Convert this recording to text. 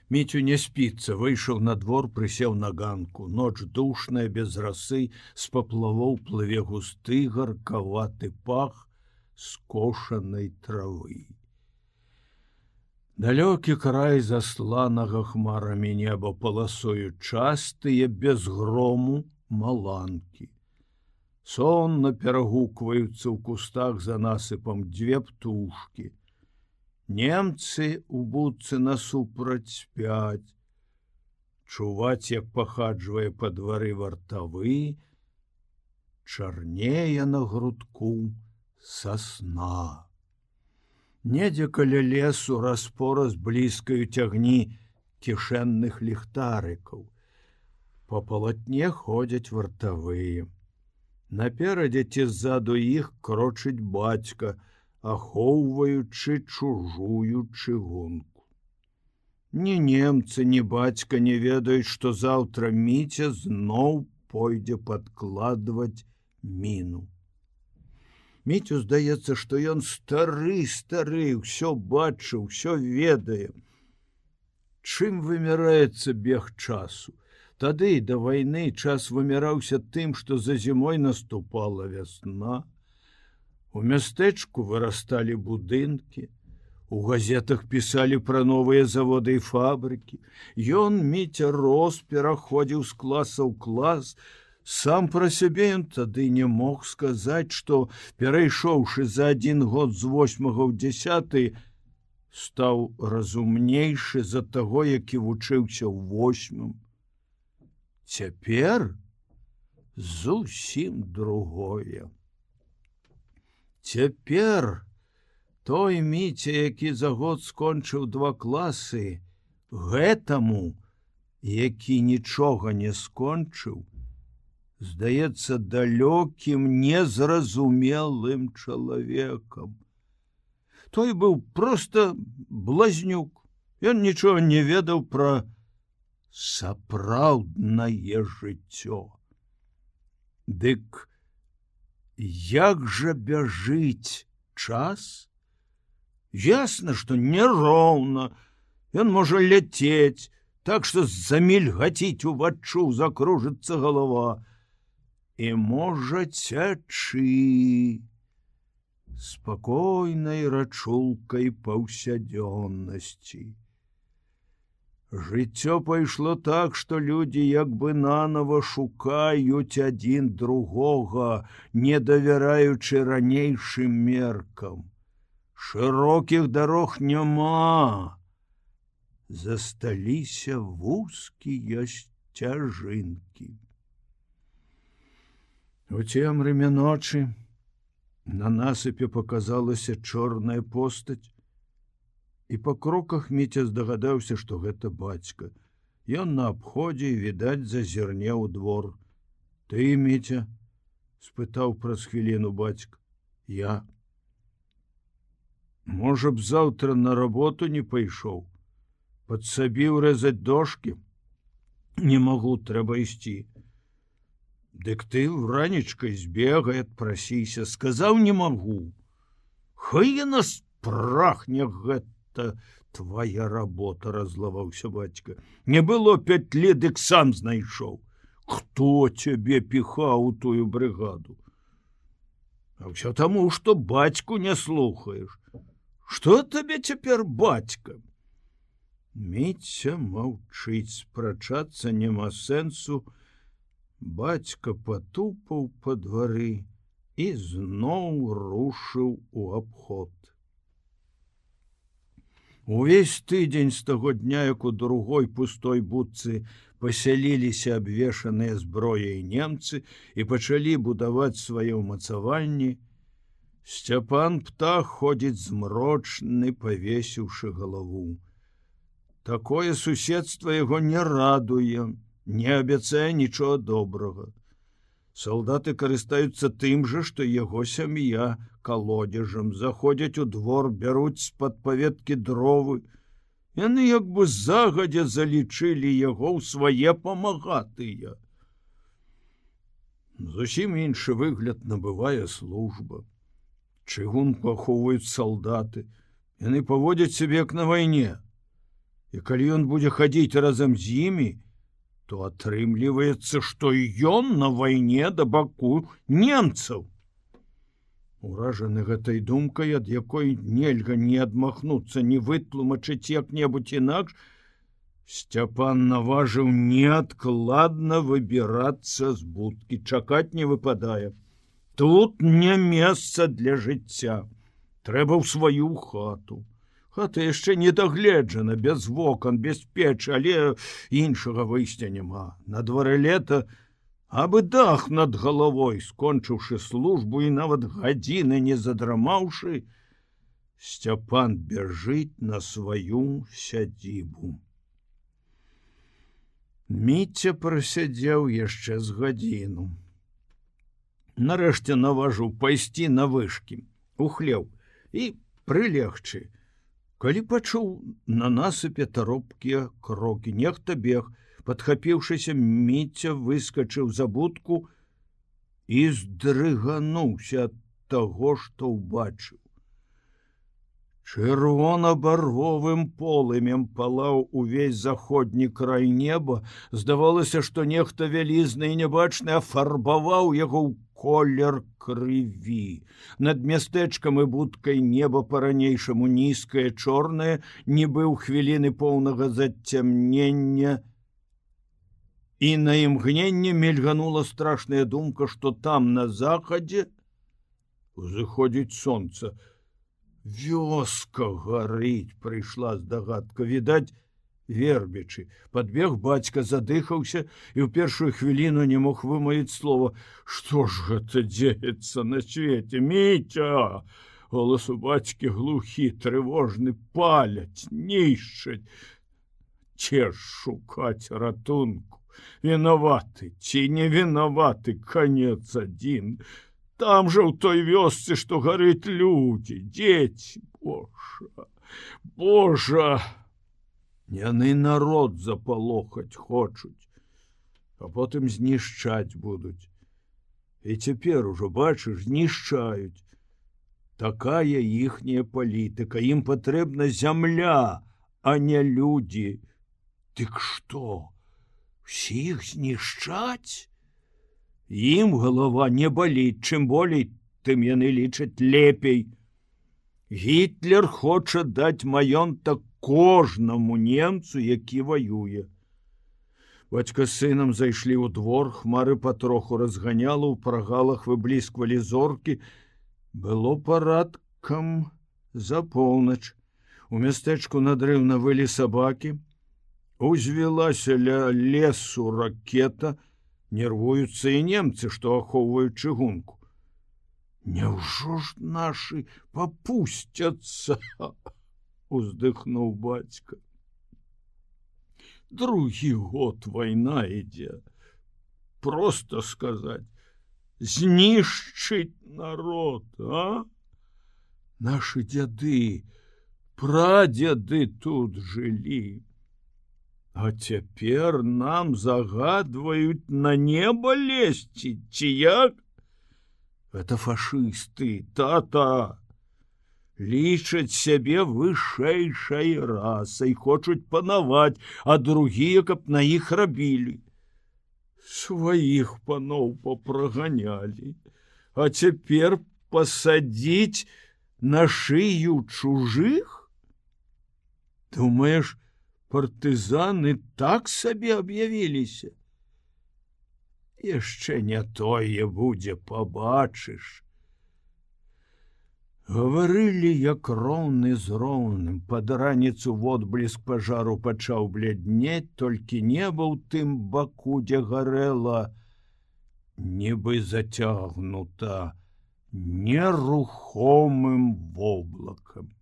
Міцю не спіцца, выйшаў на двор, прысеў на ганку. Ноч душная, без расы, з паплавоў плыве густы, гаркаваты пах скошанай травы. Далёкі край засланага хмарамі неба паласою частыя, без грому, маланкі. Сонна перагукваюцца ў кустах за насыпам дзве птушкі. Немцы у будцы насупраць спяць. Чуваць, як пахаджвае па двары вартавы, чарнее на грудку сасна. Недзе каля лесу раз-пораз блізкаюць агні кішэнных ліхтарыкаў. Па палатне ходзяць вартавыя. Наперадзе ці ззаду іх крочыць бацька, ахоўваючы чужую чыгунку. Ні немцы, ні бацька не ведаюць, што заўтра Міця зноў пойдзе падкладваць міну. Міцю здаецца, што ён стары, ўсё бачыў, усё ведае. Чым вымяраецца бег часу? Тады да вайны час вымяраўся тым, што за зімой наступала вясна. У мястэчку вырасталі будынкі, у газетах пісалі пра новыя заводы і фабрыкі. Ён, Міця, рос, пераходзіў з класа ў клас. Сам пра сябе ён тады не мог сказаць, што, перайшоўшы за 1 год з 8 ў 10, стаў разумнейшы за таго, які вучыўся ў 8. Цяпер зусім другое. Цяпер той Міця, які за год скончыў 2 класы, гэтаму, які нічога не скончыў, здаецца далёкім, незразумелым чалавекам. Той быў проста блазнюк. Ён нічога не ведаў пра сапраўднае жыццё. Дык як жа бяжыць час? Ясна, што няроўна. Ён можа ляцець, так што замільгаціць уваччу, закружыцца галава. І можа цячы спакойнай рачулкай паўсядзённасці. Жыццё пайшло так, што людзі як бы нанова шукаюць адзін другога, не давяраючы ранейшым меркам. Шырокіх дарог няма. Засталіся вузкія сцяжынкі. У цемры ночы на насыпе паказалася чорная постаць, і па кроках Міця здагадаўся, што гэта бацька. Ён на абходзе, відаць, зазірне ў двор. Ты, Міця? Спытаў праз хвіліну бацька. Я. Можа б, заўтра на работу не пайшоў. Падсабіў рэзаць дошкі? Не магу, трэба ісці. Дык ты ранечкай збегай, адпрасіся. Сказаў, не магу. Хай яна спрахне гэта твая работа, раззлаваўся бацька. Не было 5 лет, дык сам знайшоў. Хто цябе піхаў у тую брыгаду? А ўсё таму, што бацьку не слухаеш. Што табе цяпер бацька? Міця маўчыць, спрачацца няма сэнсу. Бацька патупаў па двары і зноў рушыў у абход. Увесь тыдзень з таго дня, як у другой пустой будцы пасяліліся абвешаныя зброяй немцы і пачалі будаваць свае ўмацаванні, Сцяпан Птах ходзіць змрочны, павесіўшы галаву. Такое суседства яго не радуе, не абяцае нічога добрага. Салдаты карыстаюцца тым жа, што яго сям'я калодзежам, заходзяць у двор, бяруць з-пад паветкі дровы. Яны як бы загадзя залічылі яго ў свае памагатыя. Зусім іншы выгляд набывае служба. Чыгунку ахоўваюць салдаты. Яны паводзяць сябе як на вайне. І калі ён будзе хадзіць разам з імі, то атрымліваецца, што ён на вайне да баку немцаў. Уражаны гэтай думкай, ад якой нельга ні адмахнуцца, ні вытлумачыць як-небудзь інакш, Сцяпан наважыў неадкладна выбірацца з будкі. Чакаць не выпадае. Тут не месца для жыцця. Трэба ў сваю хату. Хата яшчэ не дагледжана, без вокон, без печы, але іншага выйсця няма. На дварэ лета, абы дах над галавой, скончыўшы службу і нават гадзіны не задрамаўшы, Сцяпан бяжыць на сваю сядзібу. Міця прасядзеў яшчэ з гадзіну. Нарэшце наважыў пайсці на вышкі, у хлеў і прылегчы. Калі пачуў на насыпе таропкія крокі, нехта бег, падхапіўшыся, Міця выскачыў за будку і здрыгануўся ад таго, што ўбачыў. Чырвона-барвовым полымем палаў увесь заходні край неба. Здавалася, што нехта вялізны і нябачны афарбаваў яго ў колер крыві. Над мястэчкам і будкай неба па-ранейшаму нізкае, чорнае, нібы ў хвіліны поўнага зацямнення. І на імгненне мільганула страшная думка, што там на захадзе узыходзіць сонца. Вёска гарыць, прыйшла здагадка, відаць, вербічы. Падбег бацька, задыхаўся і ў першую хвіліну не мог вымавіць слова. Што ж гэта дзеецца на свеце? Міця! Голас у бацькі глухі, трывожны, паляць, нішчаць. Це ж шукаць ратунку? Вінаваты ці не вінаваты, канец адзін. Там жа ў той вёсцы, што гарыць людзі, дзеці. Божа, Божа! Яны народ запалохаць хочуць, а потым знішчаць будуць. І цяпер ужо, бачыш, знішчаюць. Такая іхняя палітыка. Ім патрэбна зямля, а не людзі. Дык што? Усіх знішчаць? Ім галава не баліць, чым болей, тым яны лічаць лепей. Гітлер хоча даць маёнтак кожнаму немцу, які ваюе. Бацька з сынам зайшлі ў двор, хмары патроху разганяла, у прагалах выблісквалі зоркі. Было парадкам за поўнач. У мястэчку надрыўна вылі сабакі. Узвілася ля лесу ракета. Нервуюцца і немцы, што ахоўваюць чыгунку. Няўжо ж нашы папусцяцца? Уздыхнуў бацька. Другі год вайна ідзе. Просто сказаць, знішчыць народ, а? Нашы дзяды, прадзеды тут жылі. А цяпер нам загадваюць на неба лезці, ці як? Это фашысты, тата. Лічаць сябе вышэйшай расай, хочуць панаваць, а другія, каб на іх рабілі. Сваіх паноў папраганялі, а цяпер пасадзіць на шыю чужых? Думаеш, партызаны так сабе аб'явіліся? Яшчэ не тое будзе, пабачыш. Гаварылі, як роўны з роўным. Пад раніцу водбліск пажару пачаў бляднець, толькі неба ў тым баку, дзе гарэла, нібы зацягнута нерухомым воблакам.